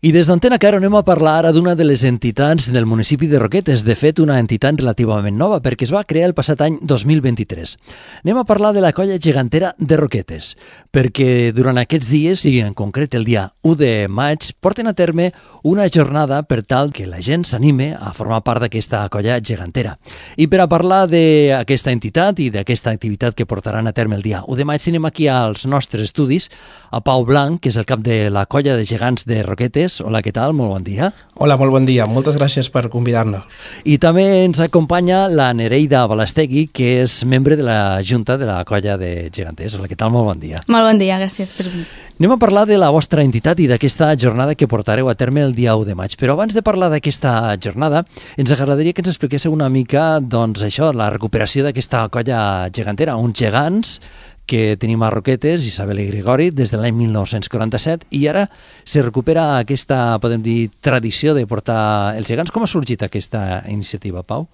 I des d'Antena Caro anem a parlar ara d'una de les entitats del municipi de Roquetes, de fet una entitat relativament nova perquè es va crear el passat any 2023. Anem a parlar de la colla gegantera de Roquetes, perquè durant aquests dies, i en concret el dia 1 de maig, porten a terme una jornada per tal que la gent s'anime a formar part d'aquesta colla gegantera. I per a parlar d'aquesta entitat i d'aquesta activitat que portaran a terme el dia 1 de maig, tenim aquí als nostres estudis a Pau Blanc, que és el cap de la colla de gegants de Roquetes. Hola, què tal? Molt bon dia. Hola, molt bon dia. Moltes gràcies per convidar-nos. I també ens acompanya la Nereida Balastegui, que és membre de la Junta de la colla de geganters. Hola, què tal? Molt bon dia. Molt bon dia, gràcies per venir. Anem a parlar de la vostra entitat i d'aquesta jornada que portareu a terme el dia 1 de maig. Però abans de parlar d'aquesta jornada, ens agradaria que ens expliquéssiu una mica, doncs, això, la recuperació d'aquesta colla gegantera, uns gegants que tenim a Roquetes, Isabel i Grigori, des de l'any 1947, i ara se recupera aquesta, podem dir, tradició de portar els gegants. Com ha sorgit aquesta iniciativa, Pau?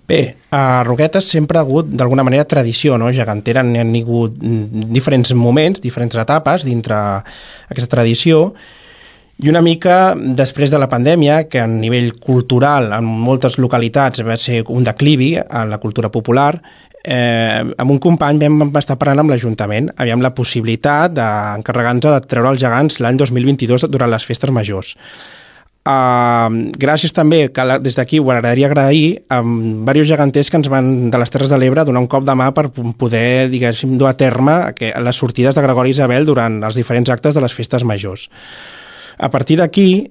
Bé, a Roquetes sempre ha hagut, d'alguna manera, tradició, no? Gegantera, n'hi ha hagut diferents moments, diferents etapes dintre aquesta tradició, i una mica després de la pandèmia, que a nivell cultural en moltes localitats va ser un declivi en la cultura popular, amb un company vam estar parlant amb l'Ajuntament, havíem la possibilitat d'encarregar-nos de treure els gegants l'any 2022 durant les festes majors. Gràcies també, que des d'aquí ho agradaria agrair a diversos geganters que ens van de les Terres de l'Ebre donar un cop de mà per poder, diguéssim, dur a terme les sortides de Gregori i Isabel durant els diferents actes de les festes majors. A partir d'aquí,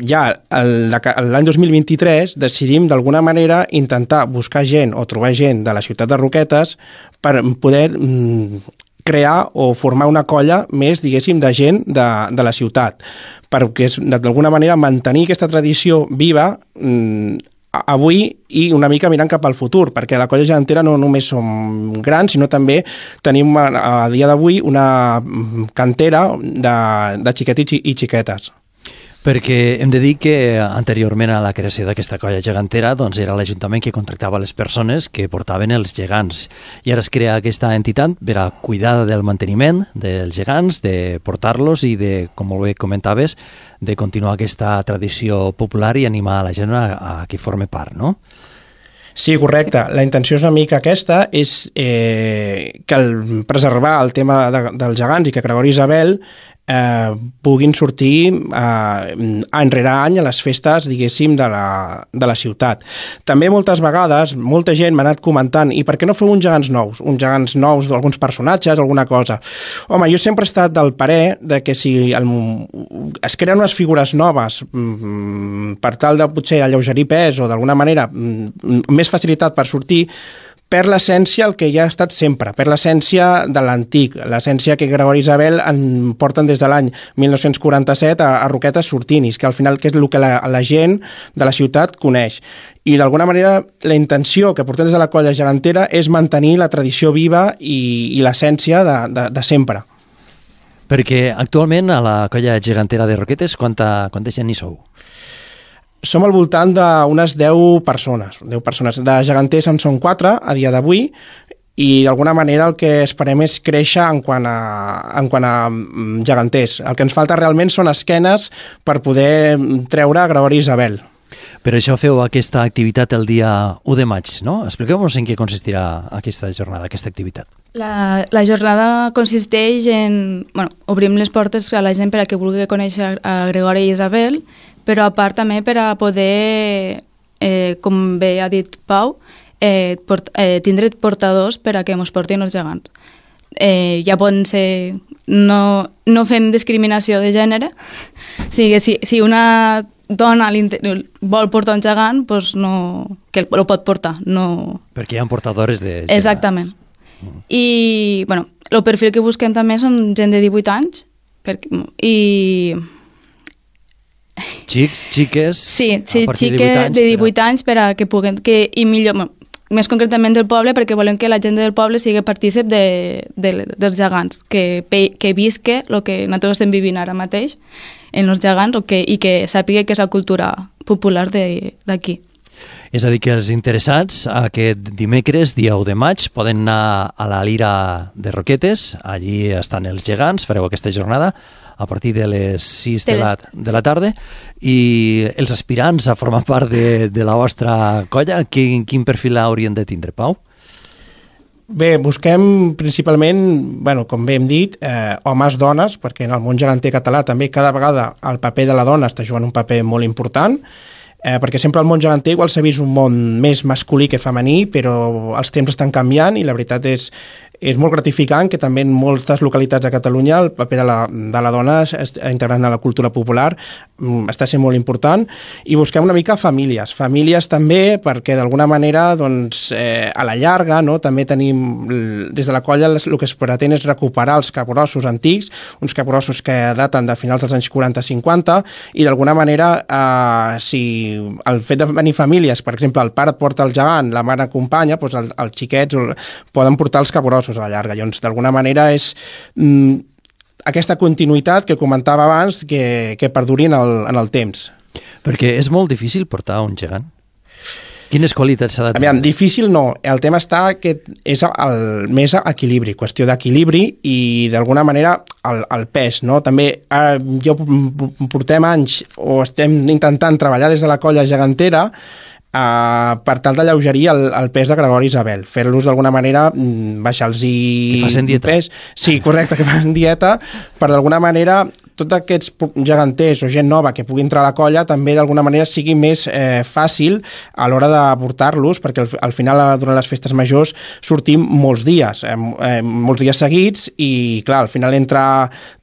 ja l'any 2023 decidim d'alguna manera intentar buscar gent o trobar gent de la ciutat de Roquetes per poder crear o formar una colla més, diguéssim, de gent de la ciutat, perquè d'alguna manera mantenir aquesta tradició viva avui i una mica mirant cap al futur, perquè la colla gegantera no només som grans, sinó també tenim a dia d'avui una cantera de xiquets i xiquetes. Perquè hem de dir que anteriorment a la creació d'aquesta colla gegantera doncs era l'Ajuntament que contractava les persones que portaven els gegants. I ara es crea aquesta entitat per a cuidar del manteniment dels gegants, de portar-los i de, com molt bé comentaves, de continuar aquesta tradició popular i animar a la gent a que forme part, no? Sí, correcte. La intenció és una mica aquesta, és que preservar el tema dels gegants i que Gregori i Isabel puguin sortir any rere any a les festes, diguéssim, de la ciutat. També moltes vegades, molta gent m'ha anat comentant i per què no feu uns gegants nous d'alguns personatges, alguna cosa? Home, jo sempre he estat del parer de que si es creen unes figures noves per tal de potser alleugerir pes o d'alguna manera més facilitat per sortir, per l'essència el que ja ha estat sempre, per l'essència de l'antic, l'essència que Gregori i Isabel en porten des de l'any 1947 a Roquetes sortint, i que al final que és el que la gent de la ciutat coneix. I d'alguna manera la intenció que portem des de la colla gegantera és mantenir la tradició viva i l'essència de sempre. Perquè actualment a la colla gegantera de Roquetes quanta gent hi sou? Som al voltant d'unes 10 persones. 10 persones. De geganters en són 4 a dia d'avui i d'alguna manera el que esperem és créixer en quant a geganters. El que ens falta realment són esquenes per poder treure Gregori i Isabel. Per això feu aquesta activitat el dia 1 de maig, no? Expliqueu-nos en què consistirà aquesta jornada, aquesta activitat. La jornada consisteix en... obrim les portes a la gent per a que vulgui conèixer a Gregori i Isabel, però a part també per a poder, com bé ha dit Pau, tindre portadors per a que ens portin els gegants. Ja poden ser... No fem discriminació de gènere, o sigui, si una dona vol portar un gegant, doncs que el pot portar. No... Perquè hi ha portadores de gegant. Exactament. I el perfil que busquem també són gent de 18 anys i... Xiques? Sí, xiques de 18 anys per a que puguen... I millor, més concretament del poble, perquè volem que la gent del poble sigui partícip dels gegants, que visque el que nosaltres estem vivint ara mateix en els gegants i que sàpiga que és la cultura popular d'aquí. És a dir, que els interessats aquest dimecres, dia 1 de maig, poden anar a la Lira de Roquetes, allí estan els gegants, fareu aquesta jornada, a partir de les 6 de la tarda, i els aspirants a formar part de la vostra colla, quin perfil haurien de tindre, Pau? Bé, busquem principalment, bueno, com bé hem dit, homes-dones, perquè en el món geganter català també cada vegada el paper de la dona està jugant un paper molt important, perquè sempre el món geganter igual s'ha vist un món més masculí que femení, però els temps estan canviant i la veritat és molt gratificant que també en moltes localitats de Catalunya el paper de la dona integrant a la cultura popular està sent molt important, i busquem una mica famílies també, perquè d'alguna manera doncs, a la llarga, no, també tenim des de la colla el que es pretén és recuperar els capgrossos antics, uns capgrossos que daten de finals dels anys 40-50, i d'alguna manera si el fet de venir famílies, per exemple el pare porta el gegant, la mare acompanya, doncs els xiquets poden portar els capgrossos a la llarga. Llavors, d'alguna manera és aquesta continuïtat que comentava abans que perduri en el temps. Perquè és molt difícil portar un gegant. Quines qualitats s'ha de tenir? Difícil no, el tema està que és més equilibri, qüestió d'equilibri i d'alguna manera el pes, no? També portem anys o estem intentant treballar des de la colla gegantera per tal d'alleugerir el pes de Gregori i Isabel, fer-los d'alguna manera baixar-los que facin dieta. Pes. Sí, correcte, que facin dieta, per d'alguna manera tots aquests geganters o gent nova que pugui entrar a la colla també d'alguna manera sigui més fàcil a l'hora de portar-los, perquè al final durant les festes majors sortim molts dies seguits, i clar, al final entre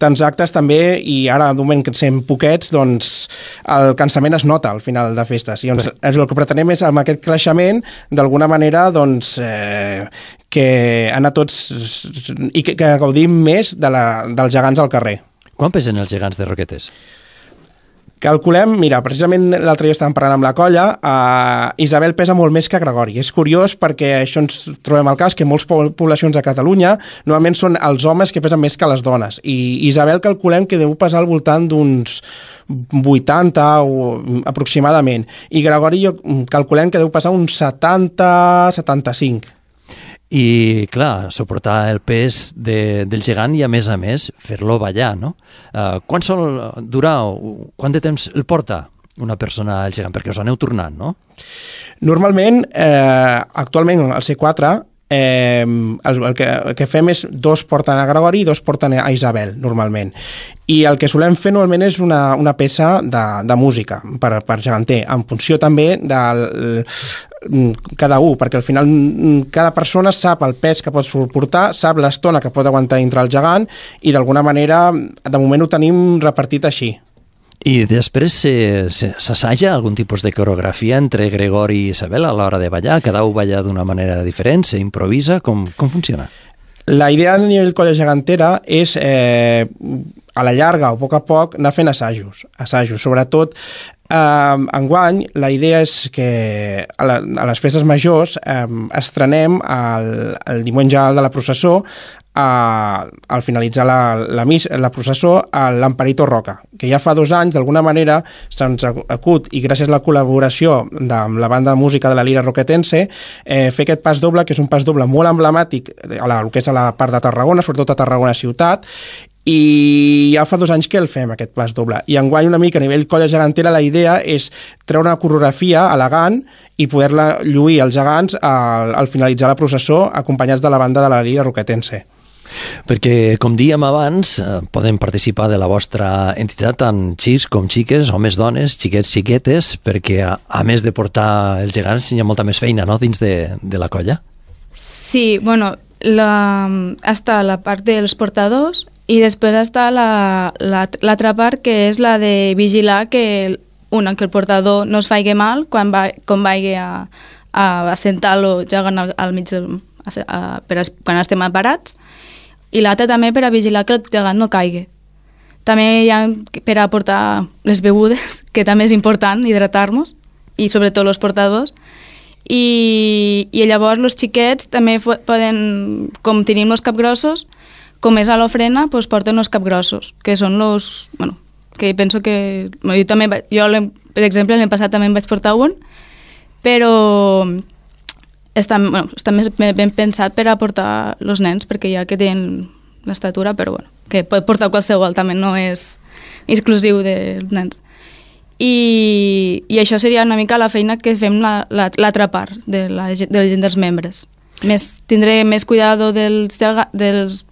tants actes també, i ara de moment que som poquets, doncs el cansament es nota al final de festes, i doncs, el que pretenem és amb aquest creixement d'alguna manera doncs que anar tots i que gaudim més dels gegants al carrer. Quan pesen els gegants de Roquetes? Calculem, mira, precisament l'altre dia estàvem parlant amb la colla, Isabel pesa molt més que Gregori. És curiós perquè això ens trobem al cas que moltes poblacions de Catalunya normalment són els homes que pesen més que les dones, i Isabel calculem que deu pesar al voltant d'uns 80 o aproximadament, i Gregori calculem que deu pesar uns 70-75. I, clar, suportar el pes del gegant i, a més, fer-lo ballar, no? Quant de temps el porta una persona al gegant? Perquè us aneu tornant, no? Normalment, actualment, al C4, el que fem és 2 porten a Gregori i 2 porten a Isabel, normalment. I el que solem fer normalment és una peça de música per geganter, en funció també del cada un, perquè al final cada persona sap el pes que pot suportar, sap l'estona que pot aguantar dintre el gegant, i d'alguna manera de moment ho tenim repartit així. I després s'assaja algun tipus de coreografia entre Gregori i Isabel a l'hora de ballar? Cada un balla d'una manera diferent, s'improvisa? Com funciona? La idea a nivell colla gegantera és a la llarga o a poc anar fent assajos, sobretot enguany la idea és que a les festes majors estrenem el diumenge de la processó, al finalitzar la processó, l'Amparito Roca, que ja fa 2 anys d'alguna manera se'ns acut, i gràcies a la col·laboració de la banda de música de la Lira Roquetense, fer aquest pas doble, que és un pas doble molt emblemàtic el que és a la part de Tarragona, sobretot a Tarragona ciutat, i ja fa 2 anys que el fem, aquest pas doble. I enguany una mica a nivell colla gegantera la idea és treure una coreografia elegant i poder-la lluir als gegants al finalitzar la processó, acompanyats de la banda de la Lira Roquetense. Perquè, com dèiem abans, poden participar de la vostra entitat tant xics com xiques, homes, dones, xiquets, xiquetes, perquè a més de portar els gegants hi ha molta més feina, no?, dins de la colla. Sí, bueno, està la part dels portadors i després està l'altra part, que és la de vigilar que el portador no es faci mal quan vagi a assentar-lo gegant al mig quan estem parats, i l'altra també per a vigilar que el gegant no caigui. També hi ha per a portar les begudes, que també és important hidratar-nos, i sobretot els portadors. I llavors els xiquets també poden, com tenim els capgrossos, com és a l'ofrena, doncs porten els capgrossos, que són els... Bueno, que penso que... Jo, per exemple, l'any passat també em vaig portar un, però està més ben pensat per a portar els nens, perquè ja que tenen l'estatura, però bueno, que pot portar qualsevol, també no és exclusiu dels nens. I això seria una mica la feina que fem l'altra part de la gent dels membres. Tindré més cuidado dels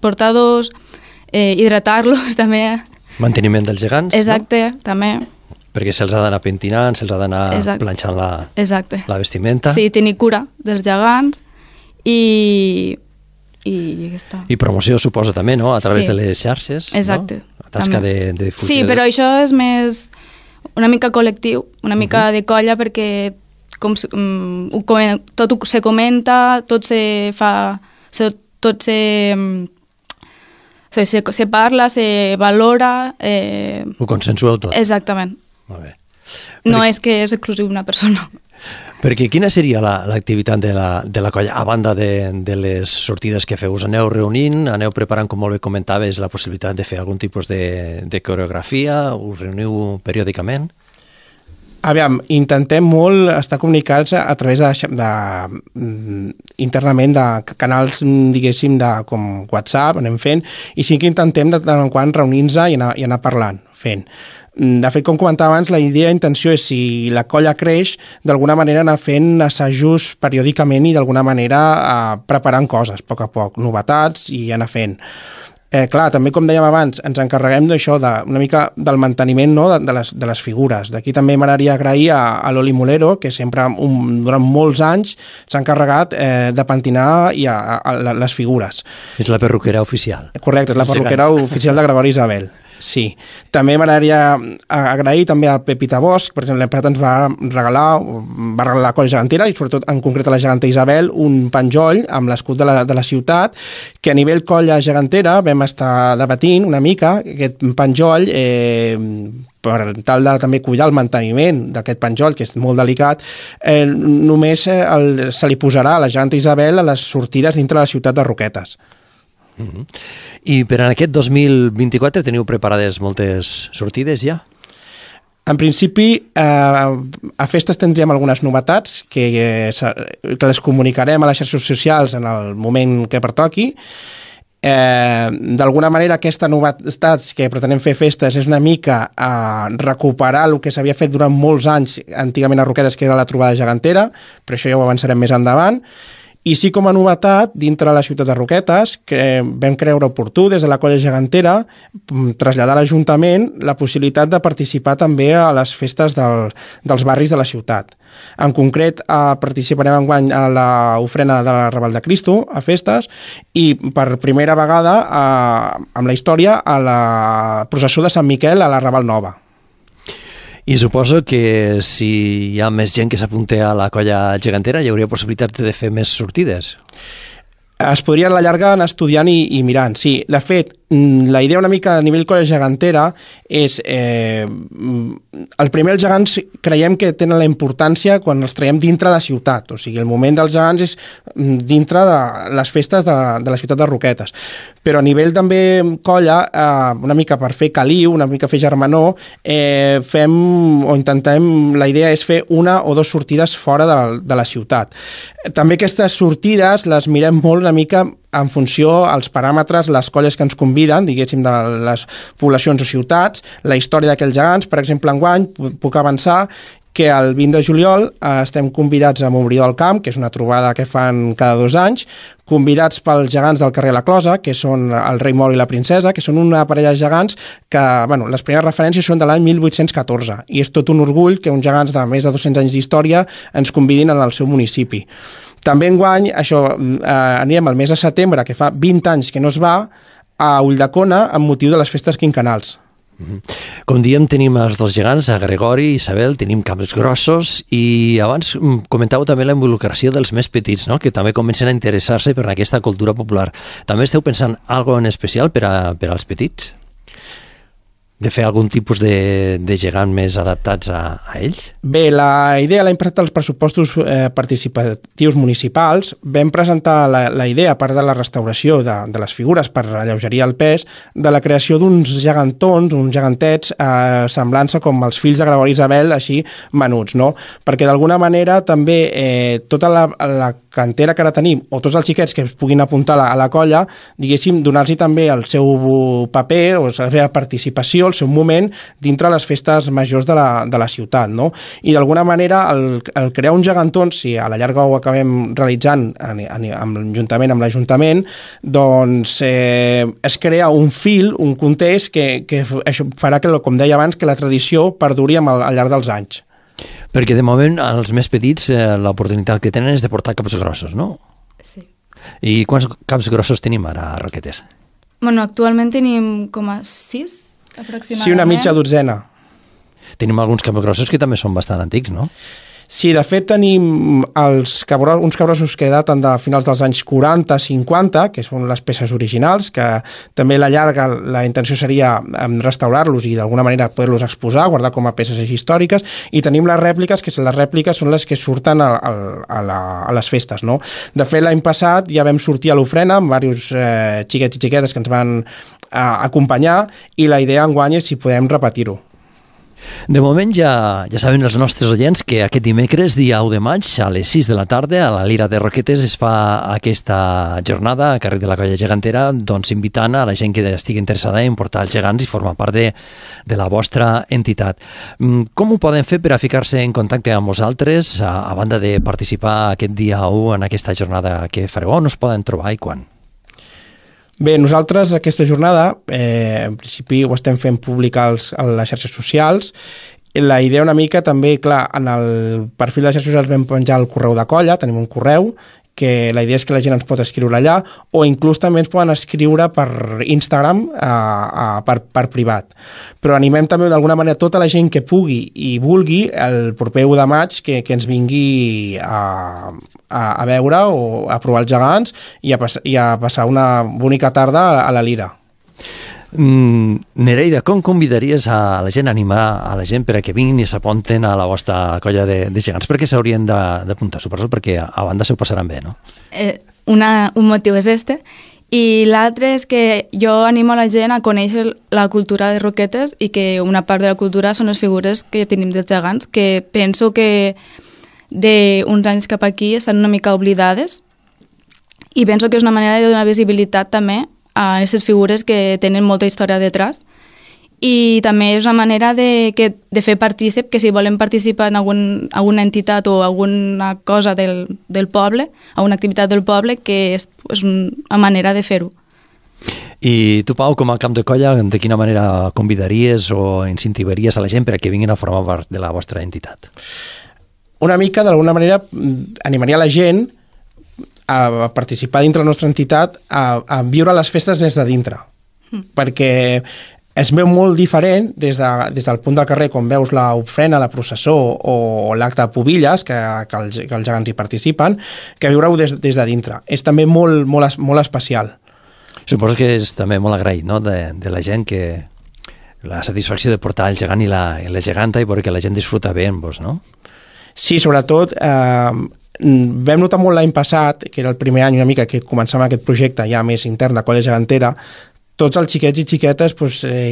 portadors, hidratar-los també. Manteniment dels gegants, exacte, no? També. Perquè se'ls ha d'anar pentinant, se'ls ha d'anar planxant la vestimenta. Sí, tenir cura dels gegants i ja està. I promoció suposa també, no? A través de les xarxes, exacte, no? La tasca de difusió. Sí, però això és més una mica col·lectiu, una mica de colla, perquè tot se comenta, tot se fa, tot se parla, se valora. Ho consensueu tot. Exactament. Molt bé. No és que és exclusiu una persona. Perquè quina seria l'activitat de la colla, a banda de les sortides que feu? Us aneu reunint, aneu preparant, com molt bé comentaves, la possibilitat de fer algun tipus de coreografia? Us reuniu periòdicament? Aviam, intentem molt estar comunicats a través internament de canals, diguéssim, com WhatsApp, anem fent, i sí que intentem de tant en quant reunir-nos i anar parlant, fent. De fet, com comentava abans, la intenció és, si la colla creix, d'alguna manera anar fent assajos periòdicament i d'alguna manera preparant coses, a poc, novetats i anar fent. Clar, també, com dèiem abans, ens encarreguem d'això, una mica del manteniment, no?, de les figures. D'aquí també m'agradaria agrair a l'Oli Molero, que sempre, durant molts anys, s'ha encarregat de pentinar les figures. És la perruquera oficial. Correcte, és la perruquera oficial de Gregori Isabel. Sí. També m'agradaria agrair també a Pepita Bosch, per exemple, l'Emprat ens va regalar la colla gegantera, i sobretot en concret a la geganta Isabel, un penjoll amb l'escut de la ciutat, que a nivell colla gegantera vam estar debatint una mica aquest penjoll, per tal de també cuidar el manteniment d'aquest penjoll, que és molt delicat, només se li posarà a la geganta Isabel a les sortides dintre la ciutat de Roquetes. I per a aquest 2024 teniu preparades moltes sortides ja? En principi, a festes tindríem algunes novetats que les comunicarem a les xarxes socials en el moment que pertoqui. D'alguna manera, aquestes novetats que pretenem fer festes és una mica recuperar el que s'havia fet durant molts anys antigament a Roquetes, que era la trobada gegantera, però això ja ho avançarem més endavant. I sí, com a novetat, dintre la ciutat de Roquetes, que vam creure oportú des de la colla gegantera traslladar a l'Ajuntament la possibilitat de participar també a les festes dels barris de la ciutat. En concret, participarem enguany a l'ofrena de la Raval de Cristo, a festes, i per primera vegada, amb la història, a la processó de Sant Miquel a la Raval Nova. I suposo que si hi ha més gent que s'apunta a la colla gegantera hi hauria possibilitats de fer més sortides. Es podria a la llarga anar estudiant i mirant. Sí, de fet, la idea una mica a nivell colla gegantera és... el primer, els gegants creiem que tenen la importància quan els traiem dintre la ciutat. O sigui, el moment dels gegants és dintre de les festes de la ciutat de Roquetes. Però a nivell també colla, una mica per fer caliu, una mica fer germanor, la idea és fer una o dues sortides fora de la ciutat. També aquestes sortides les mirem molt una mica en funció als paràmetres, les colles que ens conviden, diguéssim, de les poblacions o ciutats, la història d'aquells gegants. Per exemple, enguany puc avançar que el 20 de juliol estem convidats a Montbrió del Camp, que és una trobada que fan cada 2 anys, convidats pels gegants del carrer La Closa, que són el rei Moro i la princesa, que són una parella de gegants que, les primeres referències són de l'any 1814, i és tot un orgull que uns gegants de més de 200 anys d'història ens convidin en el seu municipi. També enguany, anirem al mes de setembre, que fa 20 anys que no es va, a Ulldecona amb motiu de les festes quinquennals. Com diem, tenim els dos gegants, a Gregori i Isabel, tenim cables grossos, i abans comentàveu també la involucració dels més petits, no?, que també comencen a interessar-se per aquesta cultura popular. També esteu pensant alguna cosa en especial per als petits? De fer algun tipus de gegant més adaptats a ells? Bé, la idea l'hem presentat als pressupostos participatius municipals. Vam presentar la idea, a part de la restauració de les figures per alleugerir el pes, de la creació d'uns gegantons, uns gegantets, semblant-se com els fills de Gregori Isabel, així menuts, no? Perquè d'alguna manera també tota la cantera que ara tenim, o tots els xiquets que es puguin apuntar a la colla, diguéssim, donar-los també el seu paper o la seva participació, el seu moment dintre les festes majors de la ciutat, no? I d'alguna manera el crear un gegantón, si a la llarga ho acabem realitzant juntament amb l'Ajuntament, doncs es crea un fil, un context que això farà que, com deia abans, que la tradició perduri al llarg dels anys. Perquè de moment els més petits l'oportunitat que tenen és de portar caps grossos, no? Sí. I quants caps grossos tenim ara a Roquetes? Bueno, actualment tenim com a 6, aproximadament. Sí, una mitja dotzena. Tenim alguns caps grossos que també són bastant antics, no? Sí, de fet tenim uns cabrossos que daten de finals dels anys 40-50, que són les peces originals, que també a la llarga la intenció seria restaurar-los i d'alguna manera poder-los exposar, guardar com a peces històriques, i tenim les rèpliques, que les rèpliques són les que surten a les festes, no? De fet, l'any passat ja vam sortir a l'ofrena amb diversos xiquets i xiquetes que ens van acompanyar, i la idea enguany és si podem repetir-ho. De moment ja saben els nostres oients que aquest dimecres, dia 1 de maig, a les 6 de la tarda, a la Lira de Roquetes es fa aquesta jornada a carrer de la Colla Gegantera, doncs invitant a la gent que estigui interessada en portar els gegants i formar part de la vostra entitat. Com ho poden fer per a ficar-se en contacte amb vosaltres, a banda de participar aquest dia 1 en aquesta jornada que fareu? On us poden trobar i quan? Bé, nosaltres aquesta jornada, en principi ho estem fent públic a les xarxes socials. La idea una mica també, clar, en el perfil de les xarxes socials vam penjar el correu de colla, tenim un correu, que la idea és que la gent ens pot escriure allà, o inclús també ens poden escriure per Instagram per privat. Però animem també d'alguna manera tota la gent que pugui i vulgui el proper 1 de maig que ens vingui a veure o a provar els gegants i a passar una bonica tarda a la Lira. Nereida, com convidaries a la gent, a animar a la gent per a que vinguin i s'apunten a la vostra colla de gegants? Per què s'haurien d'apuntar? Suposo perquè a banda s'ho passaran bé, no? Un motiu és este, i l'altre és que jo animo a la gent a conèixer la cultura de Roquetes i que una part de la cultura són les figures que tenim dels gegants, que penso que d'uns anys cap aquí estan una mica oblidades, i penso que és una manera de donar visibilitat també a aquestes figures que tenen molta història detrás, i també és una manera de fer partícip, que si volen participar en alguna entitat o alguna cosa del poble, alguna activitat del poble, que és una manera de fer-ho. I tu, Pau, com a cap de colla, de quina manera convidaries o incentivaries a la gent per a que vinguin a formar part de la vostra entitat? Una mica, d'alguna manera, animaria la gent a participar dintre la nostra entitat, a viure les festes des de dintre. Perquè es veu molt diferent des del punt del carrer, com veus l'ofrena, la processó o l'acte de Pubilles, que els gegants hi participen, que viure-ho des de dintre. És també molt especial. Suposo que és també molt agraït, no?, de la gent, que la satisfacció de portar el gegant i la geganta i perquè la gent disfruta bé amb vos, no? Sí, sobretot vam notar molt l'any passat, que era el primer any una mica que començàvem aquest projecte ja més intern de colla gegantera, tots els xiquets i xiquetes,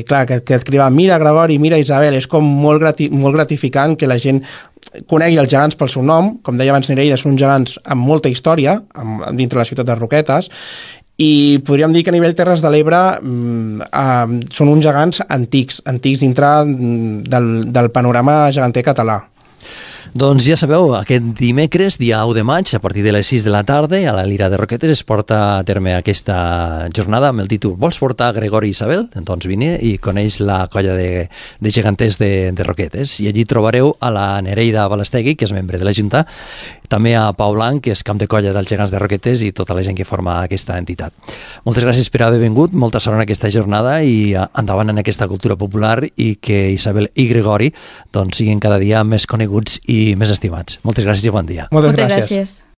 clar, que et cridaven mira Gregori, mira Isabel, és com molt gratificant que la gent conegui els gegants pel seu nom. Com deia abans Nereida, són uns gegants amb molta història dintre la ciutat de Roquetes, i podríem dir que a nivell Terres de l'Ebre són uns gegants antics dintre del panorama geganter català. Doncs ja sabeu, aquest dimecres, dia 1 de maig, a partir de les 6 de la tarda, a la Lira de Roquetes es porta a terme aquesta jornada amb el títol Vols portar Gregori i Isabel? Doncs vine i coneix la colla de geganters de Roquetes. I allí trobareu a la Nereida Balastegui, que és membre de la Junta, també a Pau Blanc, que és cap de colla dels gegants de Roquetes, i tota la gent que forma aquesta entitat. Moltes gràcies per haver vingut, molta sort en aquesta jornada i endavant en aquesta cultura popular, i que Isabel i Gregori doncs, siguin cada dia més coneguts i més estimats. Moltes gràcies i bon dia. Moltes gràcies.